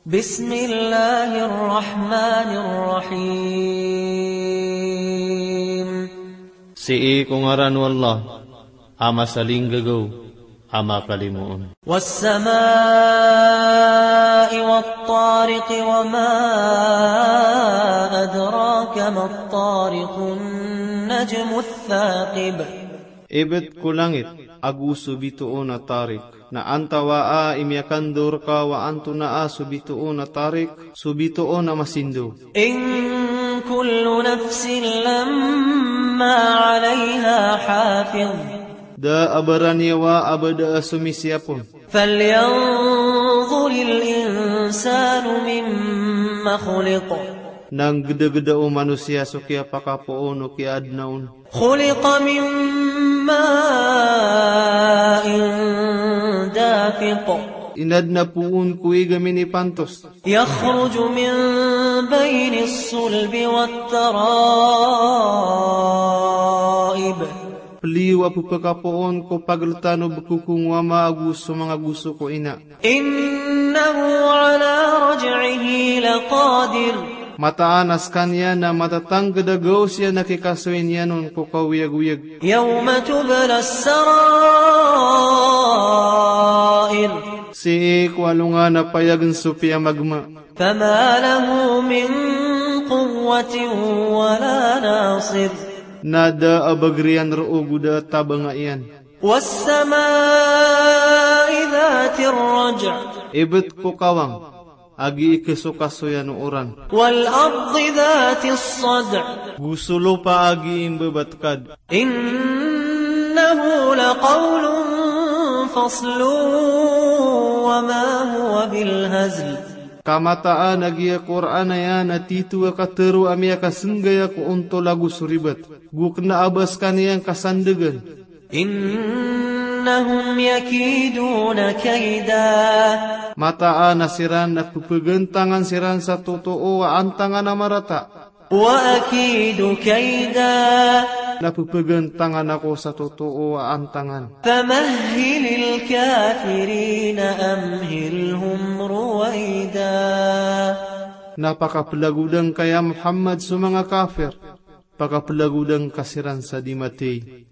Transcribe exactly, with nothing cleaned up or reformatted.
بسم الله الرحمن الرحيم. Sii ko ngaran o Allah, a masalinggagaw, a makalimoon. والسماء والطارق، وما أدراك ما الطارق، النجم الثاقب. Ibt ko langit, ago so bitoon a Tariq. Na antawaa i miyakandao rka o antonaa so bitoon a Tariq, so bitoon a masindaw. إن كل نفس لما عليها حافظ. Da a baraniyawa a ba da a somisiyap on. فلينظر الإنسان مما خلق. Na nggdagda o manosiya so kiyapakapoon o kiyaadna on. خلق من ماء دافق. Inadna poon ko ig a minipantos. يخرج من بين الصلب والترائب. Pliyo a pphakapoon ko pagltan o bkokong o ama ago so manga goso ko ina. إنه على رجعه لقادر. Mataan a skaniyan na matatangkd a gaos iyan a kikasoy niyan on ko kaoyagoyag. يوم تبلى السرائر. Sii ko alongan a payagn so piyamagma. فما له من قوة ولا ناصر. Na da a bagr iyan roo go da a tabanga iyan. والسماء ذات الرجع. Ibt ko kawang a gii ksokasoyan o oran. والأرض ذات الصدع. Go so lopa a gii mbabatkad. إنه لقول فصل وما هو بالهزل. Ka mataan a giya Qur'an aya na tito a katharo a miyakasnggaya ko ontol ago so ribat. Go kna a ba skaniyan kasandgn. إنهم يكيدون كيدا. Mataan a siran na pphagantangan siran sa totoo a antangan a marata. وأكيد كيدا. Na pphagantangan ako sa totoo a antangan. فمهل الكافرين أمهلهم رويدا. Na pakaplagodan ka ya Muhammad so manga kafir, pakaplagodan ka siran sa di mathay.